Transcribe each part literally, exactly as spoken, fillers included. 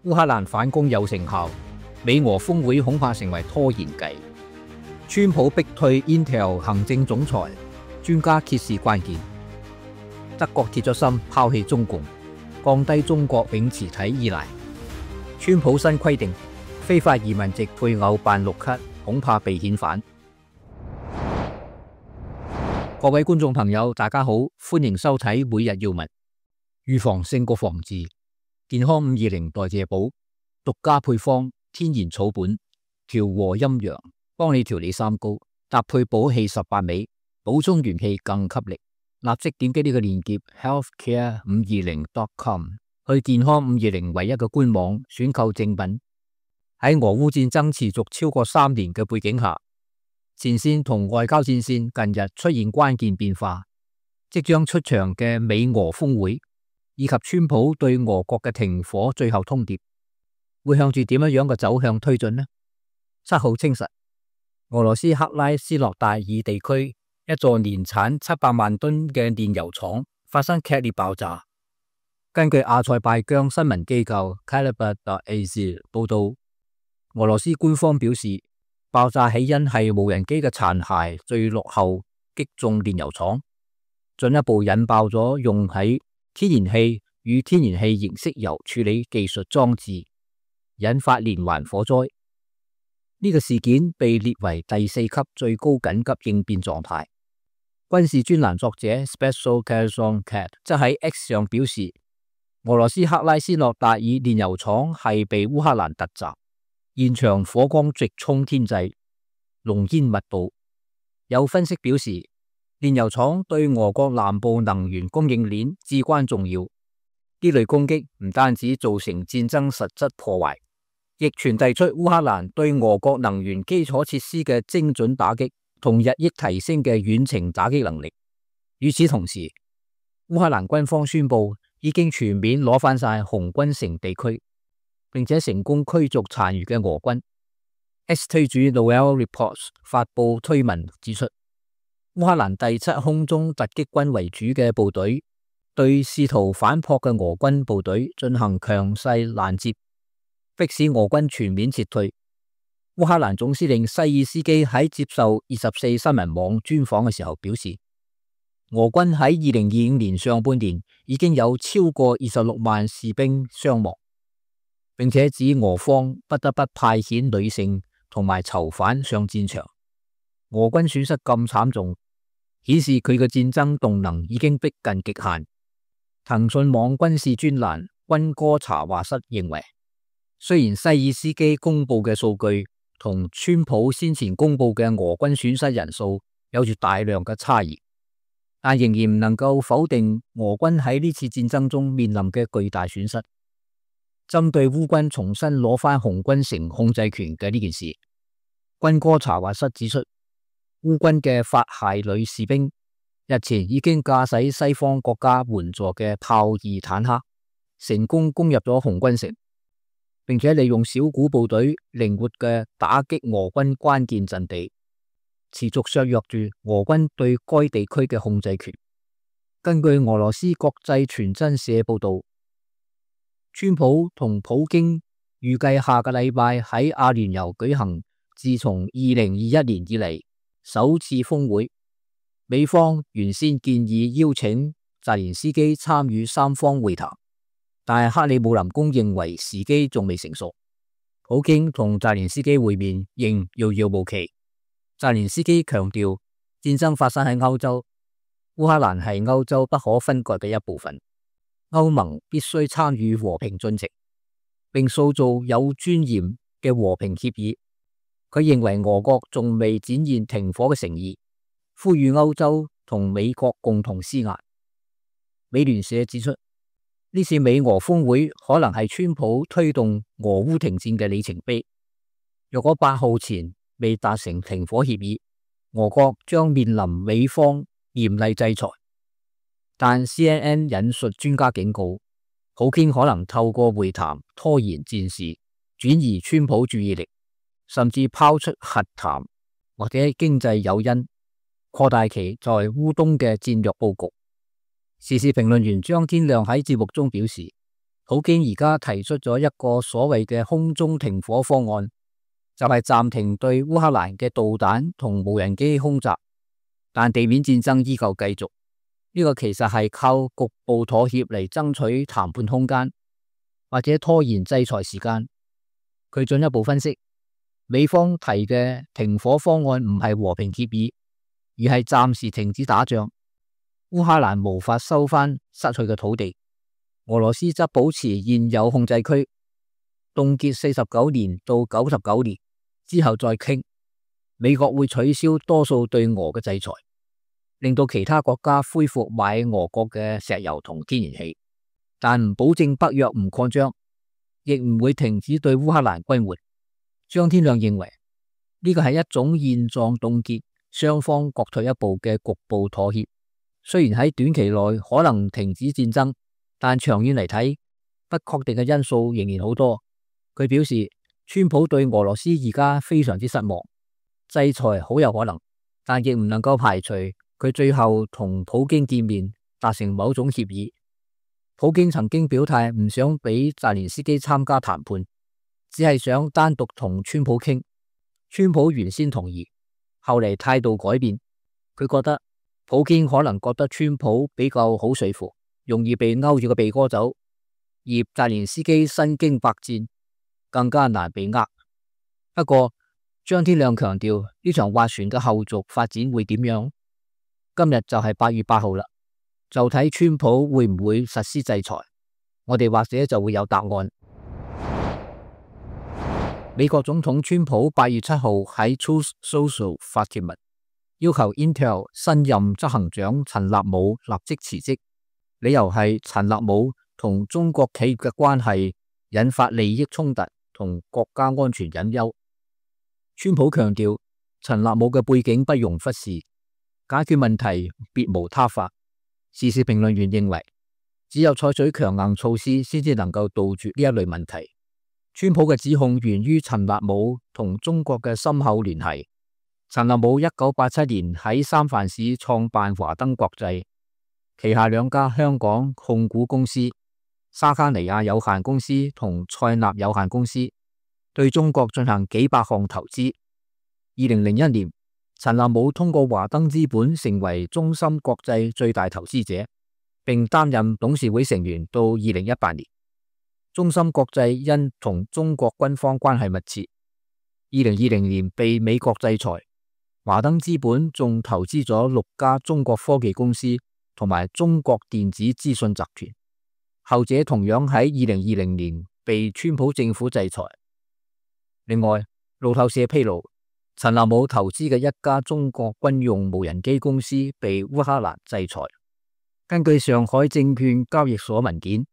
烏克蘭反攻有成效，美俄峰會恐怕成為拖延計。川普逼退 Intel 行政總裁，專家揭示關鍵。德國鐵咗心拋棄中共，降低中國永磁體依賴。川普新規定，非法移民籍配偶辦綠卡恐怕被遣返。各位觀眾朋友，大家好，歡迎收睇每日要聞。預防勝過防治，健康五二零代謝寶，獨家配方，天然草本，調和陰陽，幫你調理三高，搭配補氣十八味，補充元氣更給力。立即點擊呢個鏈接 healthcare 五二零 dot com 去健康五二零唯一嘅官網選購正品。喺俄烏戰爭持續超過三年嘅背景下，前線同外交戰線近日出現關鍵變化，即將出場嘅美俄峰會以及川普對俄國嘅停火最後通牒，會向住點樣樣嘅走向推進呢？七號清晨，俄羅斯克拉斯諾戴爾地區一座年產七百萬噸嘅煉油廠發生劇烈爆炸。根據阿塞拜疆新聞機構 Kaliber dot A Z 報道，俄羅斯官方表示，爆炸起因係無人機嘅殘骸墜落後擊中煉油廠，進一步引爆咗用喺天然氣與天然氣形式油處理技術裝置，引發連環火災。呢、這個事件被列為第四級最高緊急應變狀態。軍事專欄作者 Special Kazon Cat 則喺 X 上表示，俄羅斯克拉斯諾戴爾煉油廠係被烏克蘭突襲。現場火光直衝天際，濃煙密布。有分析表示，煉油廠對俄國南部能源供應鏈至關重要。呢類攻擊唔單止造成戰爭實質破壞，亦傳遞出烏克蘭對俄國能源基礎設施嘅精準打擊同日益提升嘅遠程打擊能力。與此同時，烏克蘭軍方宣布已經全面攞返晒紅軍城地區，並且成功驅逐殘餘嘅俄軍。X 推主 Noel Reports 發布推文指出，烏克蘭第七空中突擊軍為主嘅部隊對試圖反撲嘅俄軍部隊進行強勢攔截，迫使俄軍全面撤退。烏克蘭總司令西爾斯基喺接受二十四新聞網專訪嘅時候表示，俄軍喺二零二五年上半年已經有超過二十六萬士兵傷亡。並且指俄方不得不派遣女性同埋囚犯上戰場。俄軍損失咁慘重，顯示佢嘅戰爭動能已經逼近極限。騰訊網軍事專欄軍歌查話室認為，雖然西爾斯基公布嘅數據同川普先前公布嘅俄軍損失人數有住大量嘅差異，但仍然唔能夠否定俄軍喺呢次戰爭中面臨嘅巨大損失。針對烏軍重新攞返紅軍城控制權嘅呢件事，軍歌查話室指出，烏軍嘅法械女士兵日前已經駕駛西方國家援助嘅豹二坦克，成功攻入咗紅軍城，並且利用小股部隊靈活嘅打擊俄軍關鍵陣地，持續削弱住俄軍對該地區嘅控制權。根據俄羅斯國際傳真社報道，川普同普京預計下個禮拜喺阿聯酋舉行自從二零二一年以嚟首次峰會。美方原先建議邀請澤連斯基參與三方會談，但係克里姆林宮認為時機仲未成熟，普京同澤連斯基會面仍遙遙無期。澤連斯基強調，戰爭發生喺歐洲，烏克蘭係歐洲不可分割嘅一部分。歐盟必須參與和平進程，並塑造有尊嚴嘅和平協議。佢認為俄國仲未展現停火嘅誠意，呼籲歐洲同美國共同施壓。美聯社指出，呢次美俄峰會可能係川普推動俄烏停戰嘅里程碑。若果八號前未達成停火協議，俄國將面臨美方嚴厲制裁。但 C N N 引述專家警告，普京可能透過會談拖延戰事，轉移川普注意力，甚至拋出核談或者經濟誘因，擴大其在烏東嘅戰略佈局。時事評論員張天亮喺節目中表示，普京而家提出咗一個所謂嘅空中停火方案，就係暫停對烏克蘭嘅導彈同無人機空襲，但地面戰爭依舊繼續。呢個其實係靠局部妥協嚟爭取談判空間，或者拖延制裁時間。佢進一步分析，美方提嘅停火方案唔係和平協議，而係暫時停止打仗。烏克蘭無法收返失去嘅土地，俄羅斯則保持現有控制區，凍結四十九年到九十九年之後再傾。美國會取消多數對俄嘅制裁，令到其他國家恢復買俄國嘅石油同天然氣，但唔保證北約唔擴張，亦唔會停止對烏克蘭軍援。張天亮認為呢個係一種現狀凍結，雙方各退一步嘅局部妥協。雖然喺短期內可能停止戰爭，但長遠嚟睇，不確定嘅因素仍然好多。佢表示，川普對俄羅斯而家非常之失望，制裁好有可能，但亦唔能夠排除佢最後同普京見面達成某種協議。普京曾經表態唔想俾澤連斯基參加談判，只係想單獨同川普傾。川普原先同意，後嚟態度改變，佢覺得普京可能覺得川普比較好說服，容易被勾住個鼻哥走，而澤連斯基身經百戰，更加難被呃。不過張天亮強調呢場斡旋嘅後續發展會點樣？今日就係八月八號啦，就睇川普會唔會實施制裁，我哋或者就會有答案。美國總統川普八月七號喺 Truth Social 發帖文，要求 Intel 新任執行長陳立武立即辭職，理由係陳立武同中國企業嘅關係引發利益衝突同國家安全隱憂。川普強調陳立武嘅背景不容忽視，解決問題別無他法。時事評論員認為，只有採取強硬措施先至能夠杜絕呢一類問題。川普嘅指控源於陳立武同中國嘅深厚聯繫。陳立武一九八七年喺三藩市創辦華登國際，旗下兩家香港控股公司沙卡尼亞有限公司同賽納有限公司，對中國進行幾百項投資。二零零一年，陳立武通過華登資本成為中芯國際最大投資者，並擔任董事會成員到二零一八年。中芯國際因同中國軍方關係密切，二零二零年被美國制裁。華登資本仲投資咗六家中國科技公司同埋中國電子資訊集團，後者同樣喺二零二零年被川普政府制裁。另外，路透社披露，陳立武投資嘅一家中國軍用無人機公司被烏克蘭制裁。根據上海證券交易所文件，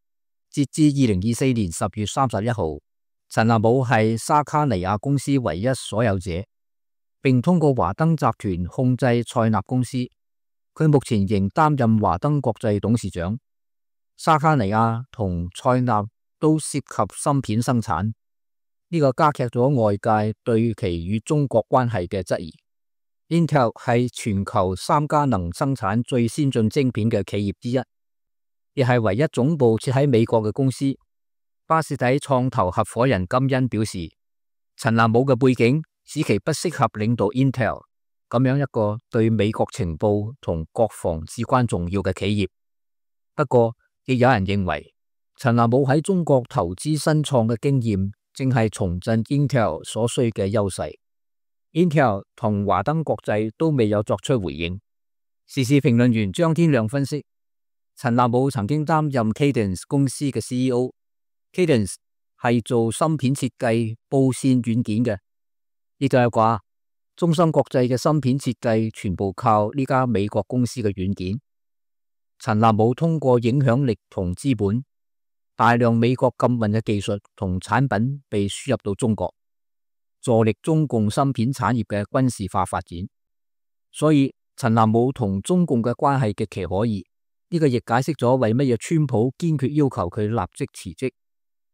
截至二零二四年十月三十一號，陳立武係沙卡尼亞公司唯一所有者，並通過華登集團控制賽納公司。佢目前仍擔任華登國際董事長。沙卡尼亞同賽納都涉及芯片生產，呢個加劇咗外界對其與中國關係嘅質疑。Intel 係全球三家能生產最先進晶片嘅企業之一，亦係唯一總部設喺美國嘅公司。巴士底創投合夥人金恩表示，陳立武嘅背景使其不適合領導 Intel 咁樣一個對美國情報同國防至關重要嘅企業。不過，亦有人認為陳立武喺中國投資新創嘅經驗正係重振 Intel 所需嘅優勢。Intel 同華登國際都未有作出回應。時事評論員張天亮分析，陳立武曾經擔任 Cadence 公司嘅 C E O，Cadence 係做芯片設計、布線軟件嘅，亦就係話中芯國際嘅芯片設計全部靠呢家美國公司嘅軟件。陳立武通過影響力同資本，大量美國禁運嘅技術同產品被輸入到中國，助力中共芯片產業嘅軍事化發展。所以陳立武同中共嘅關係極其可疑。呢個亦解釋咗為乜嘢川普堅決要求佢立即辭職。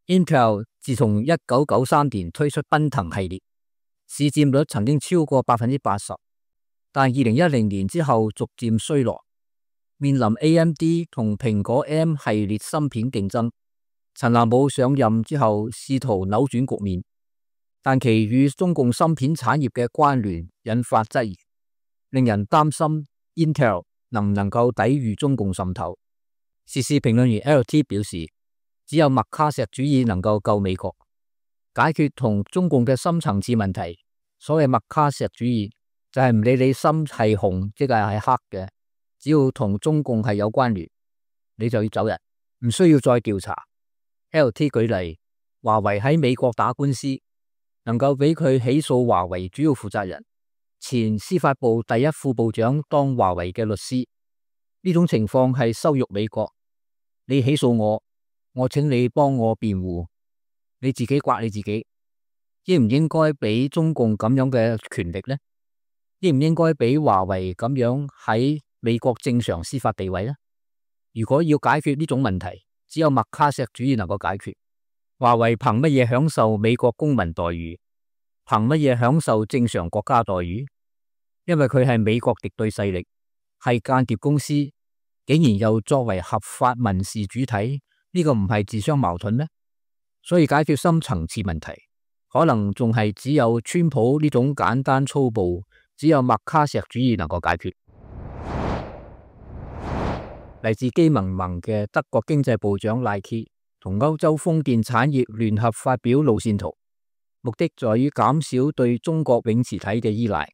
Intel 自從一九九三年推出奔騰系列，市佔率曾經超過百分之八十，但二零一零年之後逐漸衰落，面臨 A M D 同蘋果 M 系列芯片競爭，陳南武上任之後試圖扭轉局面，但其與中共芯片產業嘅關聯引發質疑，令人擔心 Intel 能唔能夠抵禦中共滲透。時事評論員 L T 表示，只有麥卡錫主義能夠救美國，解決同中共嘅深層次問題。所謂麥卡錫主義就係唔理你心係紅即係係黑嘅，只要同中共係有關聯，你就要走人，唔需要再調查。L T 舉例，華為喺美國打官司，能夠俾佢起訴華為主要負責人、前司法部第一副部長當華為嘅律師，呢種情況係羞辱美國。你起訴我，我請你幫我辯護，你自己刮你自己。應唔應該俾中共咁樣嘅權力呢？應唔應該俾華為咁樣喺美國正常司法地位呢？如果要解決呢種問題，只有麥卡錫主義能夠解決。華為憑乜嘢享受美國公民待遇？憑乜嘢享受正常國家待遇？因為佢係美國敵對勢力，係間諜公司，竟然又作為合法民事主體，呢個唔係自相矛盾咩？所以解決深層次問題，可能仲係只有川普呢種簡單粗暴，只有麥卡錫主義能夠解決。嚟自基民盟嘅德國經濟部長賴基同歐洲風電產業聯合發表路線圖，目的在於減少對中國永磁體嘅依賴。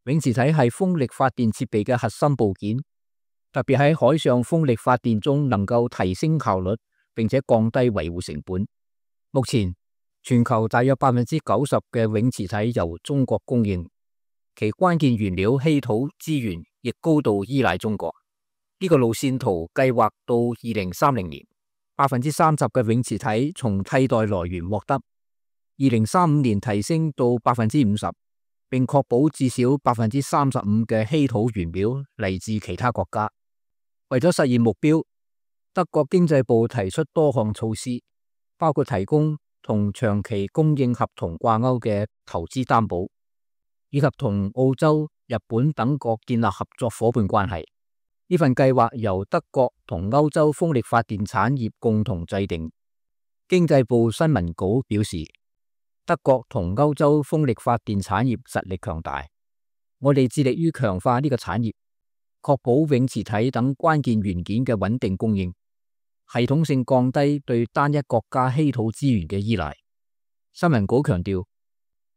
永磁體係風力發電設備嘅核心部件，特別喺海上風力發電中能夠提升效率，並且降低維護成本。目前全球大約百分之九十嘅永磁體由中國供應，其關鍵原料稀土資源亦高度依賴中國。呢個路線圖計劃到二零三零年，百分之三十嘅永磁體從替代來源獲得，二零三五年提升到百分之五十，並確保至少百分之三十五嘅稀土原料嚟自其他國家。為咗實現目標，德國經濟部提出多項措施，包括提供同長期供應合同掛鈎嘅投資擔保，以及同澳洲、日本等國建立合作夥伴關係。呢份計劃由德國同歐洲風力發電產業共同制定。經濟部新聞稿表示，德國同歐洲風力發電產業實力強大，我哋致力於強化呢個產業，確保永磁體等關鍵元件嘅穩定供應，系統性降低對單一國家稀土資源嘅依賴。新聞稿強調，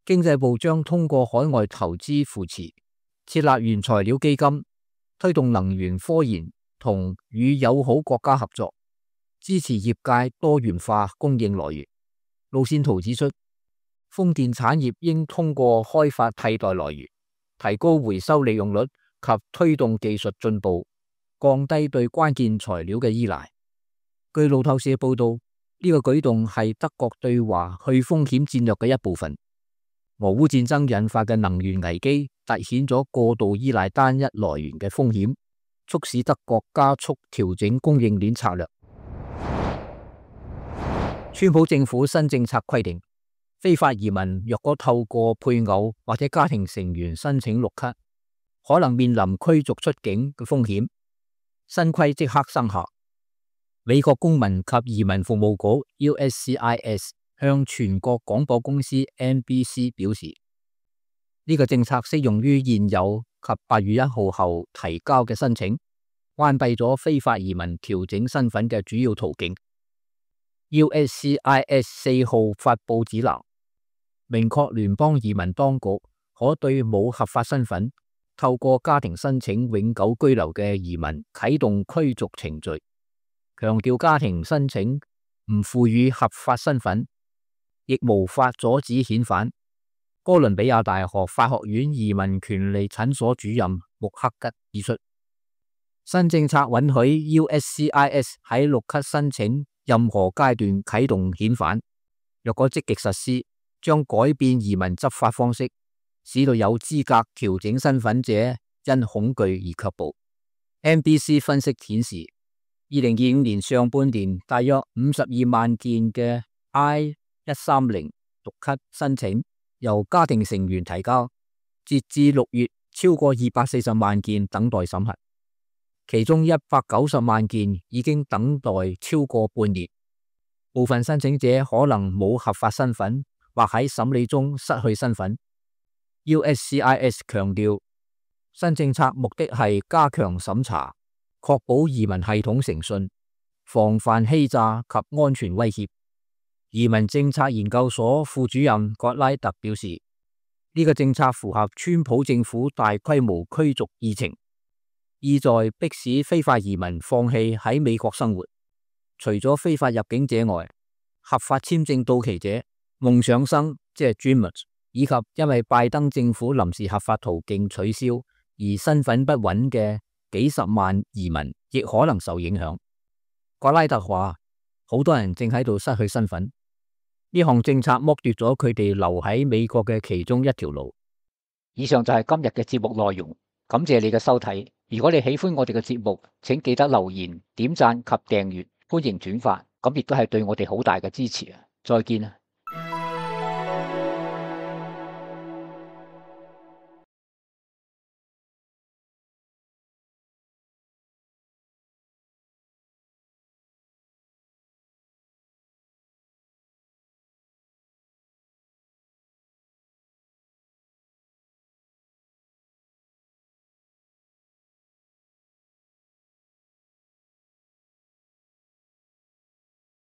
經濟部將通過海外投資扶持，設立原材料基金，推動能源科研同與友好國家合作，支持業界多元化供應來源。路線圖指出，風電產業應通過開發替代來源，提高回收利用率及推動技術進步，降低對關鍵材料嘅依賴。據路透社報道，呢個舉動係德國對華去風險戰略嘅一部分。俄烏戰爭引發嘅能源危機凸顯咗過度依賴單一來源嘅風險，促使德國加速調整供應鏈策略。川普政府新政策規定，非法移民若果透過配偶或者家庭成員申請綠卡，可能面臨驅逐出境嘅風險。新規即刻生效。美國公民及移民服務局 U S C I S 向全國廣播公司 N B C 表示，呢個政策適用於現有及八月一號後提交嘅申請，關閉咗非法移民調整身份嘅主要途徑。U S C I S 四號發布指南，明確聯邦移民當局可對冇合法身份、透過家庭申請永久居留嘅移民啟動驅逐程序，強調家庭申請唔賦予合法身份，亦無法阻止遣返。哥倫比亞大學法學院移民權利診所主任穆克吉指出，新政策允許 U S C I S 喺綠卡申請任何階段啟動遣返。若果積極實施，將改變移民執法方式，使到有資格調整身份者因恐懼而卻步。N B C 分析顯示，二零二五年上半年大約五十二萬件嘅 I 一三零綠卡申請由家庭成員提交，截至六月超過二百四十萬件等待審核，其中一百九十萬件已經等待超過半年。部分申請者可能冇合法身份，或喺審理中失去身份。U S C I S 強調，新政策目的係加強審查，確保移民系統誠信，防範欺詐及安全威脅。移民政策研究所副主任葛拉特表示，呢、這個政策符合川普政府大規模驅逐議程，意在迫使非法移民放棄喺美國生活。除咗非法入境者外，合法簽證到期者、夢想生即係 Dreamers， 以及因為拜登政府臨時合法途徑取消而身份不穩嘅幾十萬移民，亦可能受影響。葛拉特話，好多人正喺度失去身份。呢項政策剝奪咗佢哋留喺美國嘅其中一條路。以上就係今日嘅節目內容，感謝你嘅收睇。如果你喜歡我哋嘅節目，請記得留言、點讚及訂閱，歡迎轉發，咁亦都係對我哋好大嘅支持啊！再見啊！